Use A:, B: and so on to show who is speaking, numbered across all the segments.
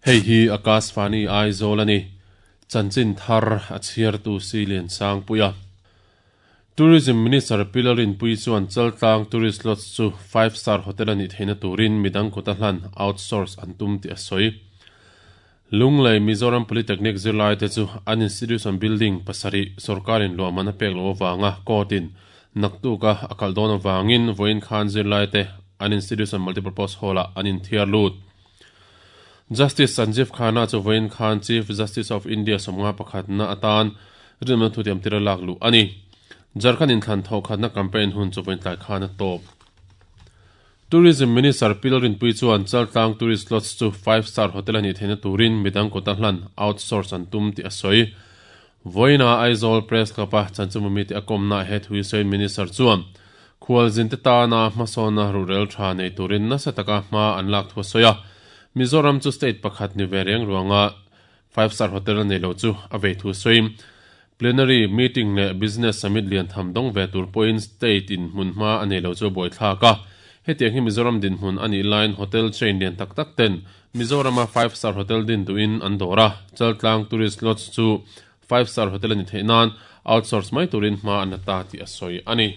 A: Hei hi Akashvani Aizawl a ni. Chanchin thar a chhiartu Silian Sangpuia. Tourism Minister Pi Lalrinpuii chuan Chaltlang Tourist Lodge chu Five Star Hotel a nih theihna turin midang kut a hlan, outsource, an tum tih a sawi. Lunglei Mizoram Polytechnic zirlaite chu an institution building pasarih sorkarin luahman a pek loh avanga court-in naktuka a kalh dawn avangin vawiin khan zirlaite an institution multipurpose hall-ah an inthiar lut. Justice Sanjeev Khanna chu vawiin khan Chief Justice of India 51 na atan rinawmna thutiam tira lak luh a ni. Jharkhand inthlan thawhkhatna campaign hun chu vawiin tlai khan a tawp. Tourism Minister Pi Lalrinpuii chuan Chaltlang Tourist Lodge chu five star hotel a nih theihna turin midang kawta hlan, outsource, an tum tih a sawi. Vawiina Aizawl Press Club-a chanchinbumi te a kawmnaah he thu hi sawiin Minister chuan khualzinte tana hmasawnna ruhrel tha nei turin nasa taka hma an lak thu a sawi a. Mizoram chu state pakhat ni ve reng ruanga Five Star Hotel a nei lo chu a vei thu sawiin Plenary meeting leh Business Summit lian tham dawng ve tur pawhin state in hmun hma a nei lo chu a buaithlak a. Hetiang hi Mizoram dinhmun a nih laiin hotel chain lian tak tak ten Mizorama Five Star Hotel din duhin an dawr a, Chaltlang Tourist Lodge chu Five Star Hotel a ni theih nan outsource mai turin hma an la ta tih a sawi a ni.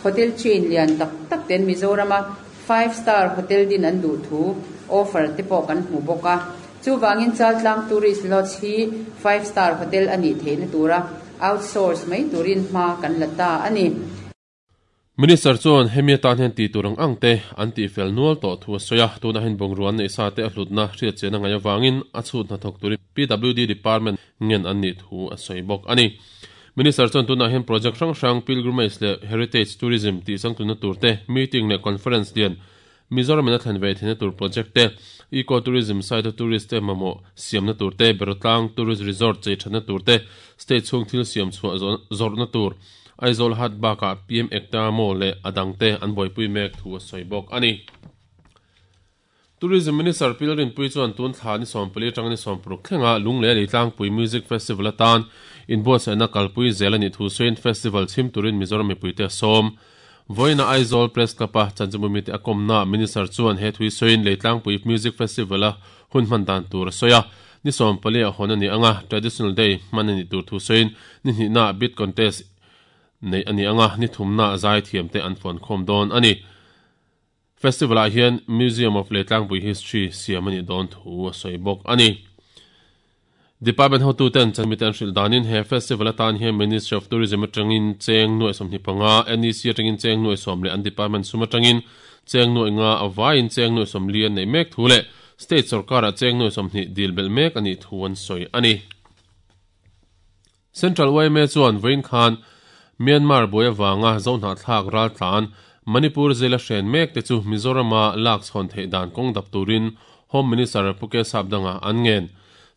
B: Hotel chain lian tak tak ten Mizorama Five Star Hotel din an duh thu offer te pawh kan hmu bawk a. Chuvangin Chaltlang Tourist Lodge hi Five Star Hotel a nih theihna tura outsource mai turin hma kan la ta a ni.
A: Minister chuan hemi atan hian tih tur ang ang te an tihfel nual tawh thu a sawi a, tunah hian bungrua an neih sa te a hlutna hriatchian a ngaih avangin a chhut hnathawk turin PWD Department ngen an nih thu a sawi bawk a ni. Minister chuan tunah hian project hrang hrang pilgrimage leh heritage tourism tih changtlunna tur te, meeting leh conference lian Mizoram in a thlen ve theihna tur project te, eco tourism site a tourist te mamawh siamna tur te, Berotlang tourist resort chei thatna tur te, state chhung thil siam chhuah zawrhna tur, Aizawl Hat bakah PM Ekta Mall leh a dangte an buaipui mek thu a sawi bawk a ni. Tourism Minister Pi Lalrinpuii chuan tun thla ni 14 atanga ni 16 thlenga Lunglei Leitlangpui Music Festival atan inbuatsaihna kalpui zel a nih thu sawiin festival chhim turin Mizoram mipuite a sawm. Vawiina Aizawl Press Club-a chanchinbumite a kawmnaah Minister chuan he thui sawiin Leitlangpui Music Festival-a hun hman dan tur a sawi a. Ni 14 ah hawn a ni ang a, Traditional Day hman a nih tur thu sawiin ni hnihnaah Bid Contest neih a ni ang a, ni thumnaah zaithiamte an fuankhawm dawn a ni. Festival-ah hian Museum of Leitlangpui History siam a nih dawn thu a sawi bawk a ni. Department hotuten chanmite an hrilh danin he festival atan hian Ministry of Tourism atangin cheng nuaih 25, NEC atangin cheng nuaih 10 leh an department sum atangin cheng nuaih nga a vaiin cheng nuaih 40 an neih mek thu leh state sorkarah cheng nuaih 20 dil belh mek a nih thu an sawi a ni. Central yma chuan vawiin khan Myanmar buai avanga Zohnahthlak raltlan Manipur zela hren mek te chu Mizorama lak chhawn theih dan kawng dap turin Home Minister Pu K Sapdanga an ngen.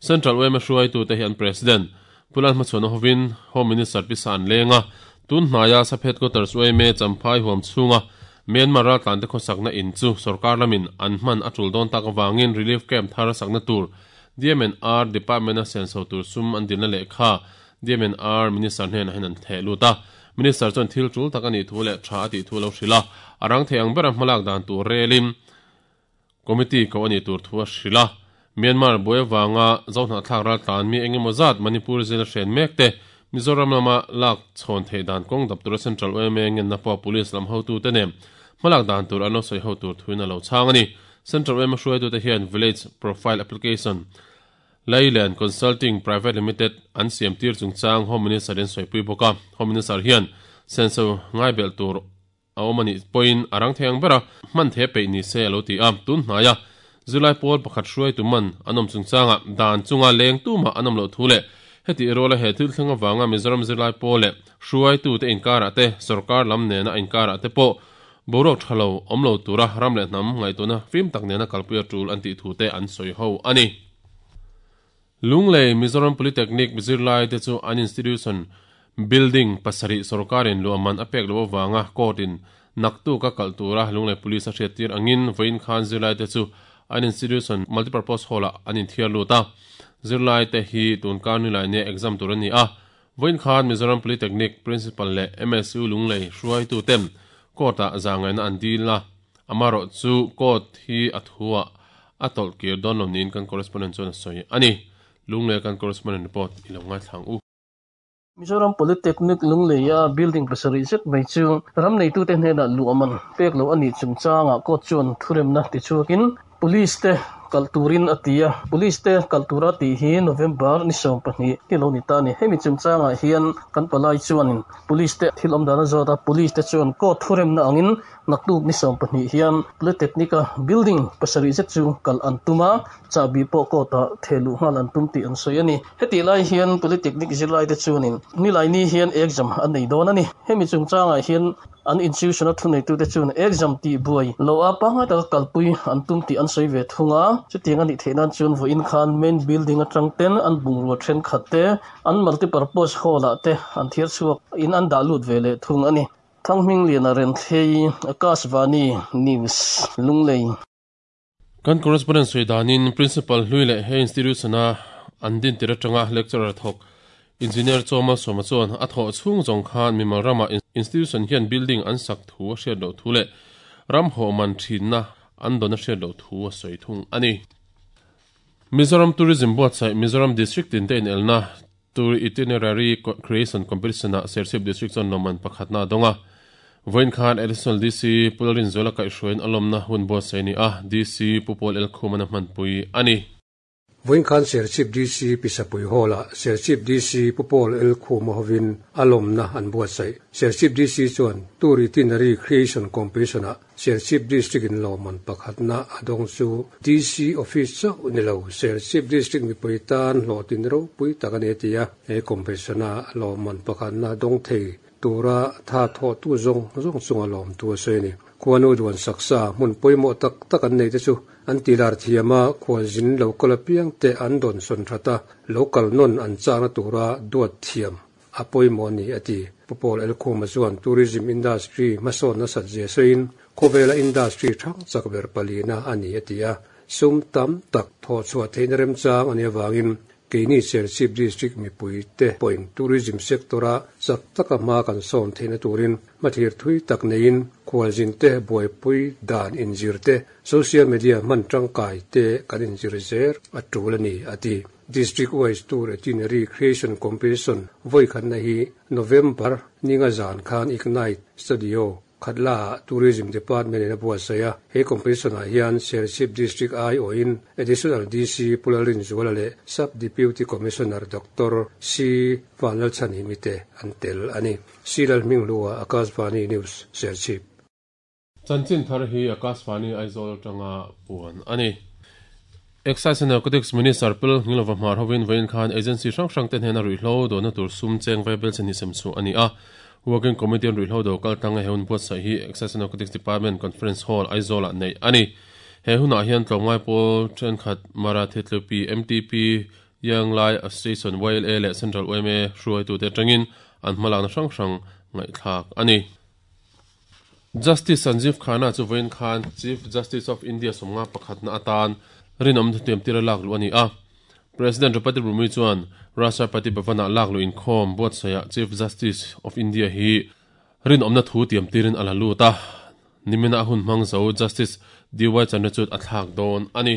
A: Central yma hruaitute hi an President Pu Lalhmachhuana hovin Home Minister pisa an leng a, tun hnaia Sap Headquarters yma Champhai huam chhunga Myanmar raltlante khawsakna in chu sorkar lamin an hman a tul dawn tak avangin relief camp thar sakna tur DMNR Department-a senso tur sum an dilna lehkha DMNR Minister hnenah hian an theh lut a. Minister chuan thil tul tak a nih thu leh tha a tih thu a lo hrilh a, a rang thei ang bera hmalak dan tur relin Committee koh a nih tur thu a hrilh a. Myanmar buai avanga Zohnahthlak raltlan mi engemaw zat Manipur zela hren mek te Mizoram lama lak chhawn theih dan kawng dap tura Central yma ngenna pawh Police lam hotute nen hmalak dan tur an lo sawi ho tur thuin a lo chhang a ni. Central yma hruaitute hian Village Profile Application, Lailand Consulting Private Limited an siam tir chungchang Home Minister in sawipui bawk a. Home Minister hian senso ngaibelh tur a awm a nih pawhin a rang thei ang bera hman the peih ni se a lo ti a. Tun hnaia zirlai pawl pakhat hruaitu man an awm chungchangah dan chunga leng tumah an awm loh thu leh heti ruala he thil thleng avanga Mizoram zirlai pawl leh hruaitute inkarah te, sorkar lam nena inkarah te pawh Boruak tha lo awm lo tura ram leh hnam ngaihtuahna fim tak nena kalpui a tul an tih thu te an sawi ho a ni. Lunglei Mizoram Polytechnic zirlai te chu an institution building pasarih sorkarin luahman a pek loh avanga court in naktuk a kalh tura Lunglei Police a hriattir angin vawiin khan zirlai te chu an institution multipurpose hall ah an inthiar lut a. Zirlai te hi tunkar nilai nia exam tur a ni a, Vawiin khan Mizoram Polytechnic Principal leh MSU Lunglei hruaitu ten Court-ah zahngaihna an dil a, amaherawh chu Court hi a thuah a tawlh kir dawn lo niin kan correspondent chuan a sawi a ni. Lunglei kan correspondent report i lo ngaithla ang u.
C: Mizoram Polytechnic Lungleia building pasarih zet mai chu ram neitute hnenah luahman pek loh a nih chungchangah court chuan thuremna tichhuakin Police te kalh turin a ti a, Police te kalh tura tih hi November ni 12 hi lo ni ta a ni. Hemi chungchangah hian kan palai chuanin Police te thil awm dan a zawt a, Police te chuan court thuremna angin naktuk ni 12 hian Polytechnic-a building pasarih zet chu kalh an tum a, chahbi pawh court-ah theh luh nghal an tum tih an sawi a ni. Hetih lai hian Polytechnic zirlaite chuanin Nilaini hian exam an nei dawn a ni. Hemi chungchangah hian An institution-a thuneitute chuan exam tih buai loh a pangngai taka kalpui an tum tih an sawi ve thung a. Chutiang a nih theih nan chuan vawiin khan main building atang ten an bungrua thenkhat te, an multipurpose hall-ah te an thiar chhuak in an dah lut ve leh thung a ni. Thanghmingliana Renthlei, Akashvani News, Lunglei.
A: Kan correspondent sawi danin Principal hlui leh he institution-a an din tir atanga lecturer thawk Engineer Chawma Sawma chuan a thawh chhung zawng khan mimal ramah institution hian building an sak thu a hriat loh thu leh ram hawh man thinna an dawn a hriat loh thu a sawi thung a ni. Mizoram Tourism buatsaih Mizoram District tinte inelna Tour Itinerary Creation Competition-ah Serchhip District chuan lawmman pakhatna a dawng a. Vawiin khan Additional DC Pu Lalrinzuala kaihhruaiin a lawmna hun buatsaih a ni a, DC Pu Paul Elkhum-an a hmanpui a ni.
D: Vawiin khan Serchhip DC Pisapui Hall-ah Serchhip DC Pu Paul Elkhum-a hovin a lawmna an buatsaih. Serchhip DC chuan Tour Itinerary Creation Competition-ah Serchhip District in lawmman pakhatna a dawng chu DC Office chauh ni lo, Serchhip District mipui tan hlawhtlin ropui tak a ni a ti a. He competition-a lawmman pakhatna dawng thei tura tha thawhtu zawng zawng chunga lawmtu a sawi a ni. Khuanu duan saksa hmun pawimawh tak tak an neite chu an tilar thiam a, khualzin lo kal apiangte an dawnsawn that a, lo kal nawn an chakna tura duat thiam a pawimawh a ni, a ti. Pu Paul Elkhuma chuan tourism industry hmasawn nasat zia sawiin, khawvela industry thang chak ber palina a ni, a ti a. Sum tam tak thawhchhuah theihna remchang a nih avangin keini Serchhip District mipuite pawhin tourism sector-a chak taka hma kan sawn theihna turin hmathlir thui tak neiin khualzinte buaipui dan inzir te, social media hman tangkai te kan inzir zel a tul a ni, a ti. District wise tour itinerary creation competition vawi khatna hi November ninga zan khan Ignite Studio Khatla ah Tourism Department in a buatsaih a. He competition ah hian Serchhip District aiawhin Additional DC Pu Lalrinzuala leh Sub Deputy Commissioner Doctor C Vanlalchhanhimi te an tel a ni. C Lalhminghlua, Akashvani News, Serchhip.
A: Chanchin thar hi Akashvani Aizawl atanga puan a ni. Excise and Narcotics Minister Pil Nghilova hmar hovin vawiin khan agency hrang hrang te hnena ruihhlo dawhna tur sum cheng vai bel chenhi sem chhuah a ni a. Working Committee an ruihhlo do kal tanga he hun buatsaih hi Excise and Narcotics Department Conference Hall, Aizawl ah neih a ni. He hunah hian tlawmngai pawl thenkhat Mara Thitlupi, MTP, Young Lai Association, YLA, leh Central yma hruaitute atangin an hmalakna hrang hrang ngaihthlak a ni. Justice Sanjeev Khanna chu vawiin khan Chief Justice of India sawmnga pakhatna atan rinawm thutiam tira lak luh a ni a. President Draupadi Murmu chuan Rashtrapati Bhavan-ah lak luh inkhawm buatsaihah Chief Justice of India hi rinawmna thu tiam tirin a la lut a, nimina a hun hmang zo Justice DY Chandrachud a thlak dawn a ni.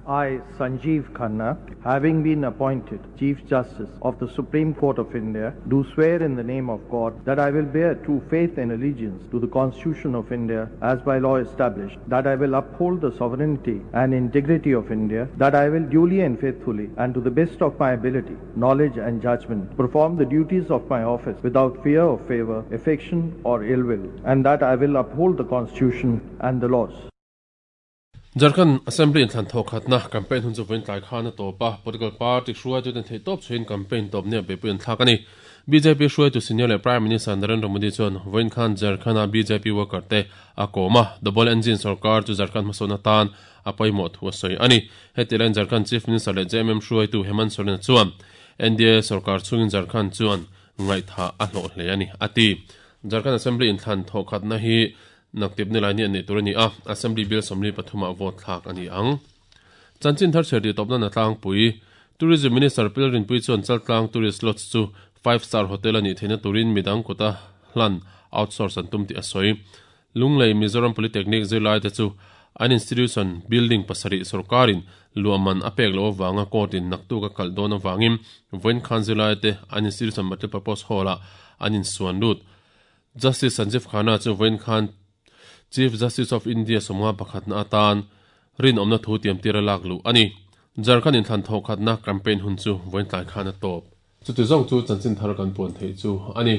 E: I, Sanjeev Khanna, having been appointed Chief Justice of the Supreme Court of India, do swear in the name of God that I will bear true faith and allegiance to the Constitution of India as by law established, that I will uphold the sovereignty and integrity of India, that I will duly and faithfully and to the best of my ability, knowledge and judgment perform the duties of my office without fear or favor, affection or ill will, and that I will uphold the Constitution and the laws.
A: Jharkhand Assembly inthlan thawk khatna campaign hun chu vawiin tlai khan a tawp a, political party hruaituten theihtawp chhuiin campaign tawp nia beihpui an thlak a ni. Bjp hruaitu senior leh Prime Minister Narendra Modi chuan vawiin khan Jharkhand-a bjp worker te a kawm a, double engine sorkar chu Jharkhand hmasawn atan a pawimawh thu a sawi a ni. Heti laiin Jharkhand Chief Minister leh JMM hruaitu Hemant Soren-a chuan NDA sorkar chhungin Jharkhand chuan ngaihthah a hlawh hle a ni, a ti. Jharkhand Assembly inthlan thawh khatna hi Naktip nilai ni an neih tur a ni a, Assembly Bill 43 ah vote thlak a ni ang. Chanchin thar chhiar tih tawpna na tlangpui, Tourism Minister Pil Rinpui chuan Chaltlang Tourist Lodge chu Five Star Hotel a nih theihna turin midang kuta hlan, outsource, an tum tih a sawi. Lunglei Mizoram Polytechnic zirlaite chu An institution building pasarih sorkarin luah man a pek loh avanga court in naktuk a kalh dawn avangin vawiin khan zirlaite an institution multipurpose hall ah an insuan lut. Justice Sanjeev Khanna chu vawiin khan Chief Justice of India sawmnga pakhatna atan rinawmna thu tiamtir a lak luh a ni. Jharkhand inthlan thawhkhatna campaign hun chu vawiin tlai khan a tawp. Chuti zawng chu chanchin thar kan puan theih chu a ni.